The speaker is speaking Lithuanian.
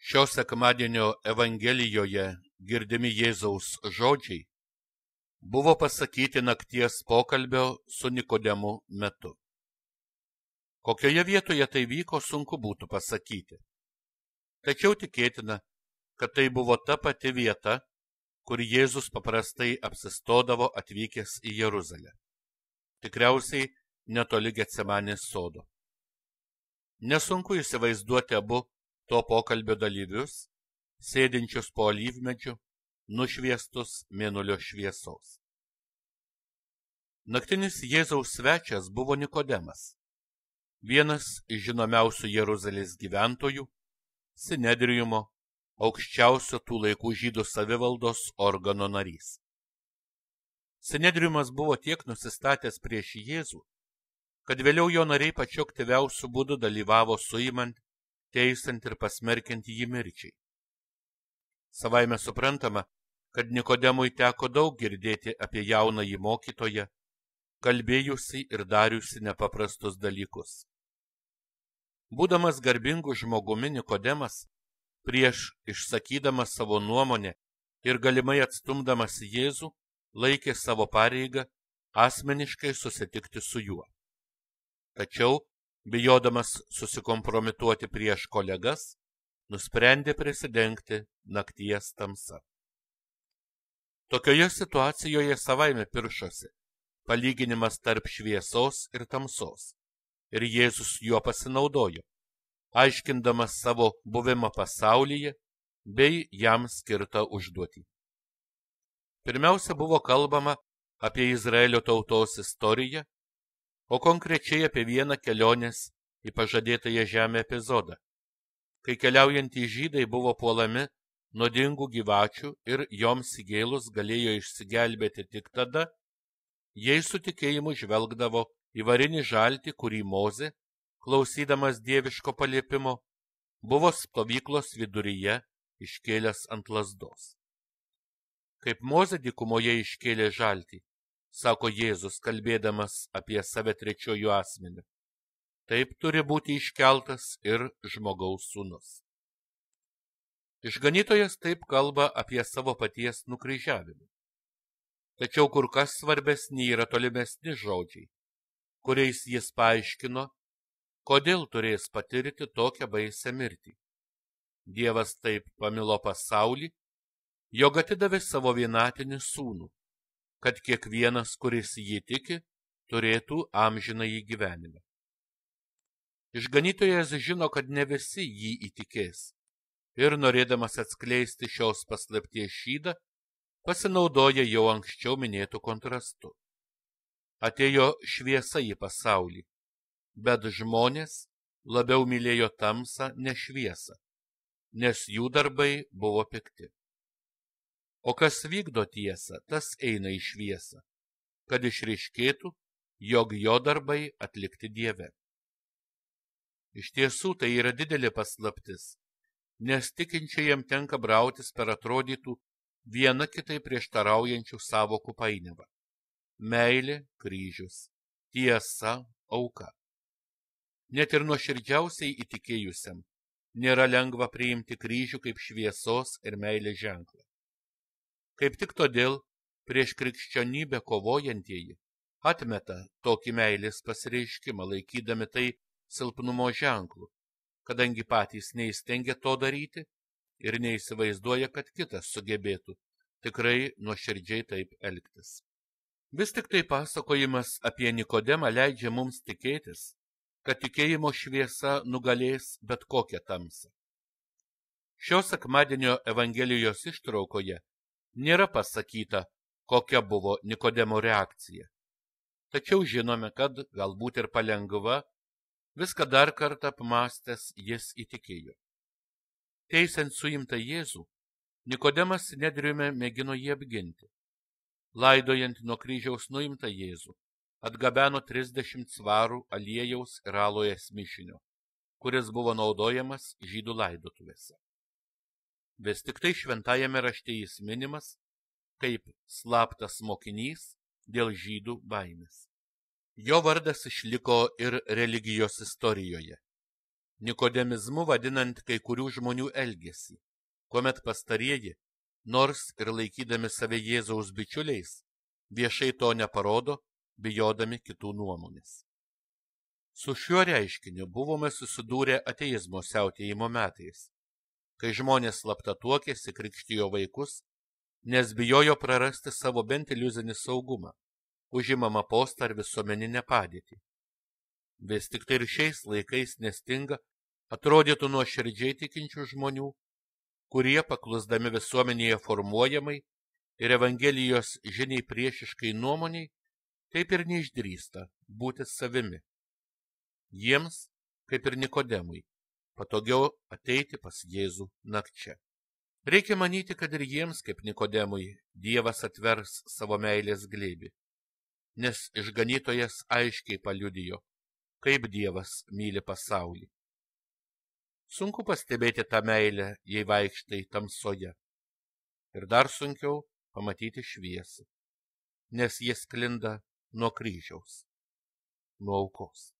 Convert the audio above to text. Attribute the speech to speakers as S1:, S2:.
S1: Šio sekmadienio Evangelijoje girdimi Jėzaus žodžiai buvo pasakyti nakties pokalbio su Nikodemu metu. Kokioje vietoje tai vyko, sunku būtų pasakyti. Tačiau tikėtina, kad tai buvo ta pati vieta, kur Jėzus paprastai apsistodavo atvykęs į Jeruzalę. Tikriausiai netoli Getsemanės sodo. Nesunku įsivaizduoti abu to pokalbio dalyvius, sėdinčius po alyvmedžiu, nušviestus mėnulio šviesos. Naktinis Jėzaus svečias buvo Nikodemas, vienas iš žinomiausių Jeruzalės gyventojų, Sinedriumo, aukščiausio tų laikų žydų savivaldos organo narys. Sinedriumas buvo tiek nusistatęs prieš Jėzų, kad vėliau jo nariai pačiu aktyviausiu būdu dalyvavo suimant, teisant ir pasmerkiant jį mirčiai. Savaime suprantama, kad Nikodemui teko daug girdėti apie jaunąjį mokytoją, kalbėjusi ir dariusi nepaprastus dalykus. Būdamas garbingu žmogumi, Nikodemas, prieš išsakydamas savo nuomonę ir galimai atstumdamas Jėzų, laikė savo pareigą asmeniškai susitikti su juo. Tačiau, bijodamas susikompromituoti prieš kolegas, nusprendė prisidengti nakties tamsa. Tokioje situacijoje savaime piršosi palyginimas tarp šviesos ir tamsos, ir Jėzus juo pasinaudojo, aiškindamas savo buvimą pasaulyje bei jam skirtą užduotį. Pirmiausia buvo kalbama apie Izraelio tautos istoriją, o konkrečiai apie vieną kelionės į pažadėtąją žemę epizodą, kai keliaujantys žydai buvo puolami nuodingų gyvačių ir joms įgėlus galėjo išsigelbėti tik tada, jei su tikėjimu žvelgdavo į varinį žaltį, kurį Mozė, klausydamas dieviško paliepimo, buvo stovyklos viduryje iškėlęs ant lazdos. Kaip Mozė dykumoje iškėlė žaltį, sako Jėzus, kalbėdamas apie save trečiuoju asmeniu, taip turi būti iškeltas ir žmogaus sūnus. Išganytojas taip kalba apie savo paties nukryžiavimą. Tačiau kur kas svarbesni yra tolimesni žodžiai, kuriais jis paaiškino, kodėl turės patirti tokią baisią mirtį. Dievas taip pamilo pasaulį, jog atidavė savo vienatinį sūnų, kad kiekvienas, kuris jį tiki, turėtų amžinąjį gyvenimą. Išganytojas žino, kad ne visi jį įtikės, ir norėdamas atskleisti šios paslapties šydą, pasinaudoja jau anksčiau minėtų kontrastų. Atėjo šviesa į pasaulį, bet žmonės labiau mylėjo tamsą ne šviesą, nes jų darbai buvo pikti. O kas vykdo tiesą, tas eina į šviesą, kad išryškėtų, jog jo darbai atlikti Dieve. Iš tiesų tai yra didelė paslaptis, nes tikinčiajam tenka brautis per atrodytų viena kitai prieštaraujančių sąvokų painiavą. Meilė, kryžius, tiesa, auka. Net ir nuoširdžiausiai įtikėjusiam nėra lengva priimti kryžių kaip šviesos ir meilės ženklą. Kaip tik todėl prieš krikščionybę kovojantieji atmeta tokį meilės pasireiškimą, laikydami tai silpnumo ženklu, kadangi patys neįstengia to daryti ir neįsivaizduoja, kad kitas sugebėtų tikrai nuoširdžiai taip elgtis. Vis tik tai pasakojimas apie Nikodemą leidžia mums tikėtis, kad tikėjimo šviesa nugalės bet kokią tamsą. Šio sekmadienio Evangelijos ištraukoje nėra pasakyta, kokia buvo Nikodemo reakcija. Tačiau žinome, kad galbūt ir palengva, viską dar kartą apmąstęs jis įtikėjo. Teisiant suimtą Jėzų, Nikodemas Sinedriume mėgino jį apginti. Laidojant nuo kryžiaus nuimtą Jėzų, atgabeno 30 svarų aliejaus ir alojes mišinio, kuris buvo naudojamas žydų laidotuvėse. Vis tik tai šventajame rašte jis minimas kaip slaptas mokinys dėl žydų baimės. Jo vardas išliko ir religijos istorijoje. nikodemizmu vadinant kai kurių žmonių elgesį, kuomet pastarieji, nors ir laikydami save Jėzaus bičiuliais, viešai to neparodo, bijodami kitų nuomonės. Su šiuo reiškiniu buvome susidūrę ateizmo siautėjimo metais, kai žmonės slapta tuokėsi, krikštijo vaikus, nes bijojo prarasti savo bent iliuzinį saugumą, užimamą postą ar visuomeninę padėtį. Vis tik tai ir šiais laikais nestinga atrodytų nuoširdžiai tikinčių žmonių, kurie paklusdami visuomenėje formuojamai ir Evangelijos žiniai priešiškai nuomoniai, taip ir neišdrįsta būti savimi. Jiems, kaip ir Nikodemui, patogiau ateiti pas Jėzų nakčia. Reikia manyti, kad ir jiems, kaip Nikodemui, Dievas atvers savo meilės glėbį, nes išganytojas aiškiai paliudijo, kaip Dievas myli pasaulį. Sunku pastebėti tą meilę, jei vaikštai tamsoje, ir dar sunkiau pamatyti šviesą, nes jie sklinda nuo kryžiaus, nuo aukos.